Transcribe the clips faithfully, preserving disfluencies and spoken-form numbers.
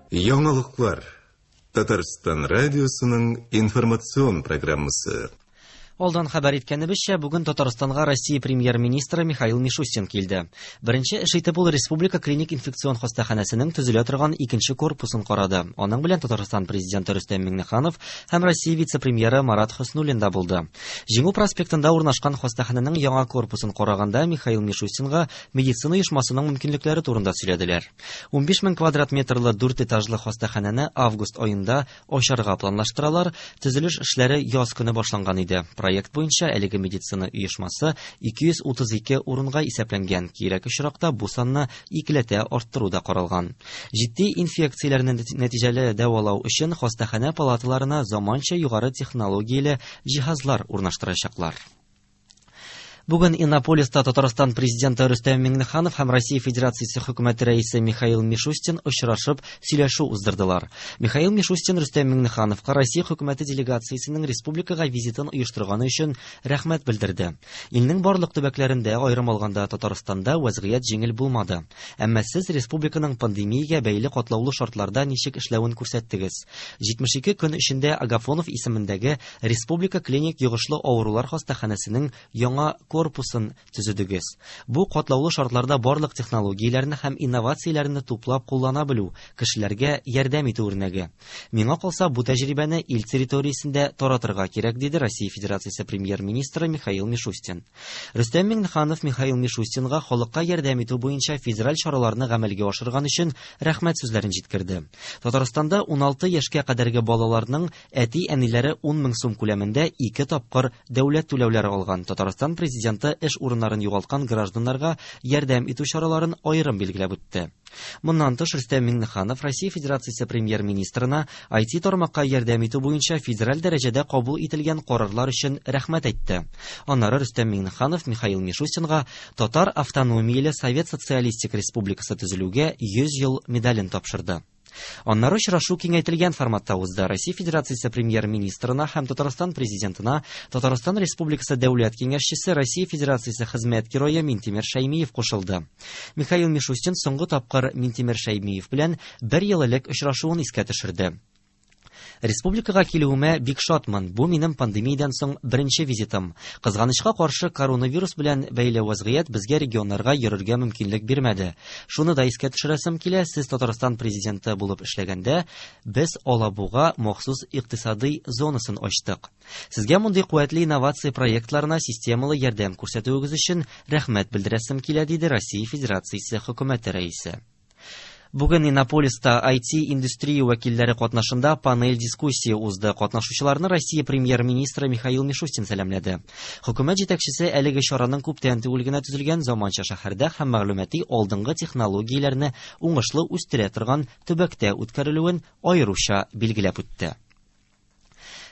Яңалыклар. Татарстан радиосының информацион программасы. Алдан хәбәр иткәнебезчә, бүген Татарстанга Россия премьер-министры Михаил Мишустин килде. Беренче эш итеп ул Республика клиник инфекцион хастаханәсенең төзелә торган икенче корпусын карады. Аның белән Татарстан президенты Рөстәм Миңнеханов һәм Россия вице-премьеры Марат Хөснуллин да булды. Җиңү проспектында урнашкан хастаханәнең яңа корпусын караганда Михаил Мишустинга медицина оешмасының мөмкинлекләре турында сөйләделәр. Унбиш мең квадрат метрлы дүрт этажлы хастаханәне август аенда ачарга планлаштыралар. Төзелеш эшләре яз көне башланган иде. Проект буенча әлеге медицина оешмасы ике йөз утыз ике урынга исәпләнгән. Кирәк очракта бу санны икеләтә арттыру да каралган. Җитди инфекцияләрне нәтиҗәле дәвалау өчен хастаханә палаталарына заманча югары технологияле җиһазлар урнаштырачаклар. Бүген Иннополиста Татарстан президенты Рөстәм Миңнеханов һәм Россия Федерациясе хөкүмәте рәисе Михаил Мишустин очрашып сөйләшү уздырдылар. Михаил Мишустин Рөстәм Миңнехановка Россия хөкүмәте делегациясенең республикага визитын оештырганы өчен рәхмәт белдерде. Илнең барлык төбәкләрендә, аерым алганда Татарстанда вәзгыять җиңел булмады. Әмма сез республиканың пандемиягә бәйле катлаулы шартларда ничек эшләвен күрсәттегез. Җитмеш ике көн эчендә Агафонов исемендәге Республика клиник йогышлы авырулар хастаханәсенең яңа корпусын төзедегез. Бу катлаулы шартларда барлык технологияләрне һәм инновацияләрне туплап куллана белү, кешеләргә ярдәм итү үрнәге. Миңа калса, бу тәҗрибәне ил территориясендә таратырга кирәк, диде Россия Федерациясе премьер-министры Михаил Мишустин. Рөстәм Миңнеханов Михаил Мишустинга халыкка ярдәм итү буенча федераль чараларны гамәлгә ашырган өчен рәхмәт сүзләрен җиткерде. Татарстанда уналты яшькә кадәрге балаларның әти-әниләре ун мең сум күләмендә ике тапкыр дәүләт түләүләре алган. Татарстан президенты эш урыннарын югалткан гражданнарга ярдәм итү чараларын аерым билгеләп үтте. Моннан тыш Рөстәм Миңнеханов Россия Федерациясе премьер-министрына ай ти тармакка ярдәм итү буенча федераль дәрәҗәдә кабул ителгән карарлар өчен рәхмәт әйтте. Аннары Рөстәм Миңнеханов Михаил Мишустинга Татар автономияле Совет Социалистик Республикасы төзелүгә йөз ел медален тапшырды. Аннары очрашу киңәйтелгән форматта узды. Россия Федерациясе премьер-министрына һәм Татарстан президентына Татарстан Республикасы дәүләт киңәшчесе Россия Федерациясе хезмәт герое Минтимер Шәймиев кушылды. Михаил Мишустин соңгы тапкыр Минтимер Шәймиев белән бер ел элек очрашуын искә төшерде. Республикага килүемә бик шатмын. Бу минем пандемиядан соң беренче визитым. Кызганычка каршы коронавирус белән бәйле вазгыять безгә регионнарга йөрергә мөмкинлек бирмәде. Шуны да искә төшерәсем килә, сез Татарстан президенты булып эшләгәндә без Алабуга махсус икътисадый зонасын ачтык. Сезгә мондый куәтле инновация проектларына системалы ярдәм күрсәтүегез өчен рәхмәт белдерәсем килә, диде Россия Федерациясе хөкүмәте рәисе. Бүген Иннополиста ай ти индустрия вәкилләре катнашында панель дискуссия узды. Катнашучыларны Россия премьер-министры Михаил Мишустин сәламләде. Хөкүмәт җитәкчесе әлеге чараның күптән түгел генә төзелгән заманча шәһәрдә һәм мәгълүмати алдынгы технологияләрне уңышлы үстерә торган төбәктә үткәрелүен аеруча билгеләп үтте.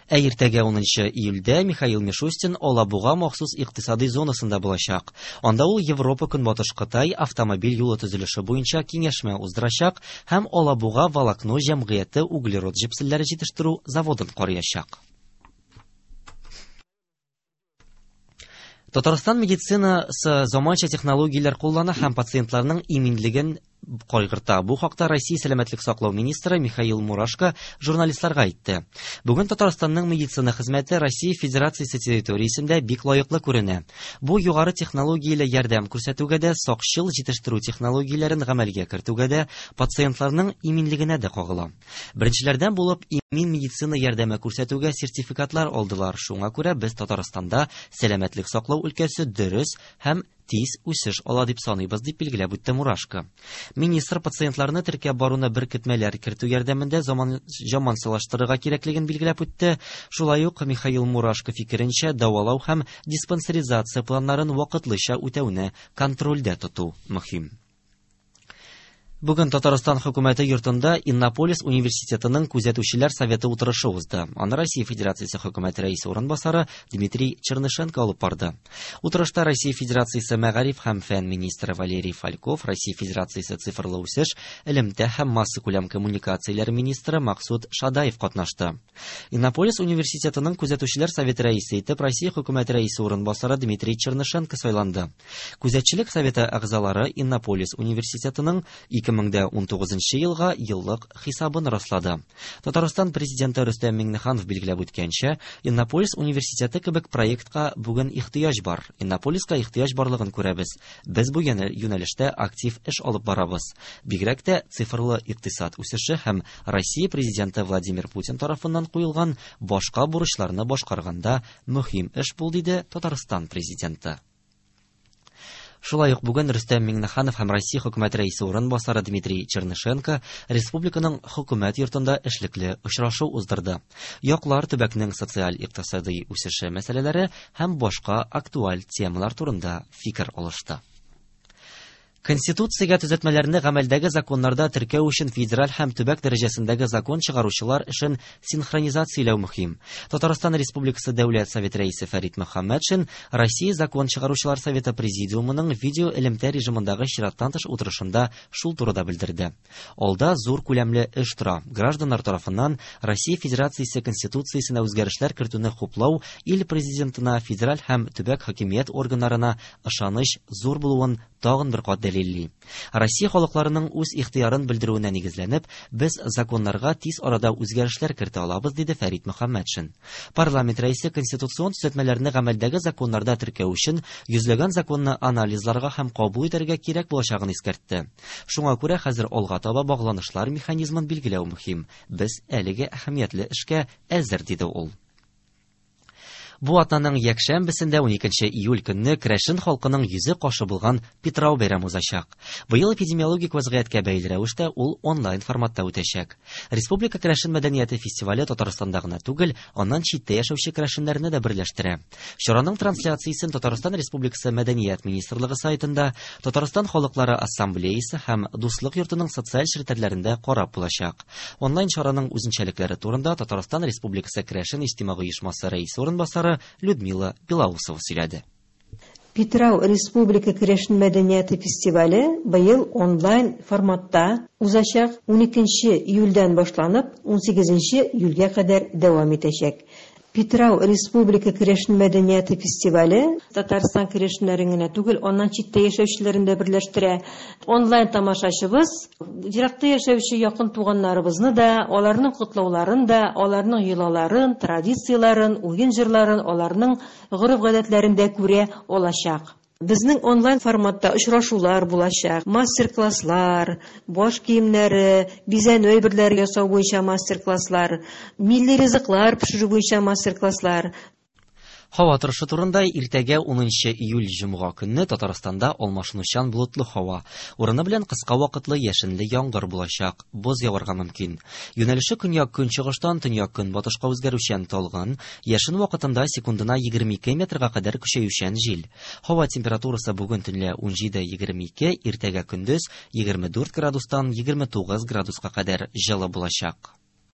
Ә иртәгә унынчы июльдә Михаил Мишустин Алабуга махсус икътисадый зонасында булачак. Анда ул Европа Көнбатыш Кытай автомобиль юлы төзелеше буенча киңәшмә уздырачак һәм Алабуга волокно җәмгыяте углерод җепселләре җитештерү заводын караячак. Татарстан медицинасы заманча технологияләр куллана һәм пациентларның иминлеген кайгырта. Бу хакта Россия сәламәтлек саклау министры Михаил Мурашко журналистларга әйтте. Бүген Татарстанның медицина хезмәте Россия Федерациясе территориясендә бик лаеклы күренә. Бу югары технологияле ярдәм күрсәтүгә дә, сакчыл җитештерү технологияләрен гамәлгә кертүгә дә, пациентларның иминлегенә дә кагыла. Беренчеләрдән булып имин медицина ярдәме күрсәтүгә сертификатлар алдылар. Шуңа күрә без Татарстанда сәламәтлек саклау өлкәсе дөрес һәм тиз үсеш ала дип саныйбыз, дип билгеләп үтте Мурашко. Министр пациентларны теркәп баруны беркетмәләр кертү ярдәмендә заман замансылаштырырга кирәклеген билгеләп үтте. Шулай ук Михаил Мурашко фикеренчә, дәвалау һәм диспансеризация планнарын вакытлыча үтәүне контрольдә тоту мөһим. Бүген Татарстан хөкүмәте йортында Иннополис университетының күзәтүчеләр советы утырышы узды. Аны Россия Федерациясе хөкүмәте рәисе урынбасары Дмитрий Чернышенко алып барды. Утырышта Россия Федерациясе мәгариф һәм фән министры Валерий Фальков, Россия Федерациясе цифрлы үсеш, элемтә һәм массакүләм коммуникацияләр министры Максут Шадаев катнашты. Иннополис университетының күзәтүчеләр советы рәисе итеп Россия хөкүмәте рәисе урынбасары Дмитрий Чернышенко сайланды. Күзәтчелек советы әгъзалары Иннополис университетының ике мең дә унтугызынчы елга еллык хисабын раслады. Татарстан президенты Рөстәм Миңнеханов билгеләп үткәнчә, Иннополис университеты кебек проектка бүген ихтыяҗ бар. Иннополиска ихтыяҗ барлыгын күрәбез. Без бу юнәлештә актив эш алып барабыз. Бигрәк тә цифрлы икътисад үсеше һәм Россия президенты Владимир Путин тарафыннан куелган башка бурычларны башкарганда мөһим эш бул, диде Татарстан президенты. Шулай ук бүген Рөстәм Миңнеханов һәм Россия хөкүмәт рәисе урынбасары Дмитрий Чернышенко республиканың хөкүмәт йортында эшлекле очрашу уздырды. Яклар төбәкнең социаль-икътисади үсеше мәсьәләләре һәм башка актуаль темалар турында фикер алышты. Конституциягә төзәтмәләрне гамәлдәге законнарда теркәү өчен федераль һәм төбәк дәрәҗәсендәге закон чыгаручылар эшен синхронизацияләү мөһим. Татарстан Республикасы Дәүләт Советы рәисе Фәрит Мөхәммәтшин Россия закон чыгаручылар советы президиумының видео элемтә режимындагы чираттан тыш утырышында шул турыда белдерде. Алда зур күләмле эш тора. Гражданнар тарафыннан Россия Федерациясе Конституциясенә үзгәрешләр кертүне хуплау ил президентына, федераль һәм төбәк хакимият органнарына ышаныч зур булуын тагын бер кат дәлилли. Россия халыкларының үз ихтыярын белдерүенә нигезләнеп, без законнарга тиз арада үзгәрешләр кертә алабыз, диде Фәрит Мөхәммәтшин. Парламент рәисе конституцион төзәтмәләрне гамәлдәге законнарда теркәү өчен йөзләгән законны анализларга һәм кабул итәргә кирәк булачагын искәртте. Шуңа күрә хәзер алга таба багланышлар механизмын билгеләү мөһим. Без әлеге әһәмиятле эшкә әзер, диде ул. Бу атнаның якшәмбесендә уникенче июль көнне керәшен халкының йөзе кашы булган Питрау бәйрәме узачак. Быел эпидемиологик вазгыятькә бәйле рәвештә ул онлайн форматта үтәчәк. Республика керәшен мәдәнияте фестивале Татарстанда гына түгел, аннан читтә яшәүче керәшеннәрне дә берләштерә. Чараның трансляциясен Татарстан Республикасы Мәдәният министрлыгы сайтында, Татарстан халыклары ассамблеясы һәм Дуслык йортының социаль челтәрләрендә карап булачак. Онлайн чараның үзенчәлекләре турында Татарстан Республикасы Керәшен иҗтимагый оешмасы рәисе урынбасары Людмила Белоусова сөйләде. Питрау Республика керәшен мәдәнияте фестивале быел онлайн форматта узачак, уникенче июльдән башланып, унсигезенче июльгә кадәр дәвам итәчәк. Питрау Республика керәшен мәдәнияте фестивале Татарстан керәшеннәрен генә түгел, аннан читтә яшәүчеләрен дә берләштерә. Онлайн тамашачыбыз еракта яшәүче якын туганнарыбызны да, аларның котлауларын да, аларның йолаларын, традицияләрен, уен җырларын, аларның гореф-гадәтләрен дә күрә алачак. Безнең онлайн форматта очрашулар булачак, мастер-класслар, баш киемнәре, бизәнү әйберләре ясау буенча мастер-класслар, милли ризыклар пешерү буенча мастер-класслар. Һава торышы турында иртәгә унынчы июль җомга көнне Татарстанда алмашынучан болытлы һава, урыны белән кыска вакытлы яшенле яңгыр булачак, боз яварга мөмкин. Юнәлеше көньяк-көнчыгыштан төньяк-көнбатышка үзгәрүчән талгын, яшен вакытында секундына егерме ике метрга кадәр көчәючән җил. Һава температурасы бүген төнлә унҗиде егерме ике, иртәгә көндез егерме дүрт градустан егерме тугыз градуска кадәр җылы булачак.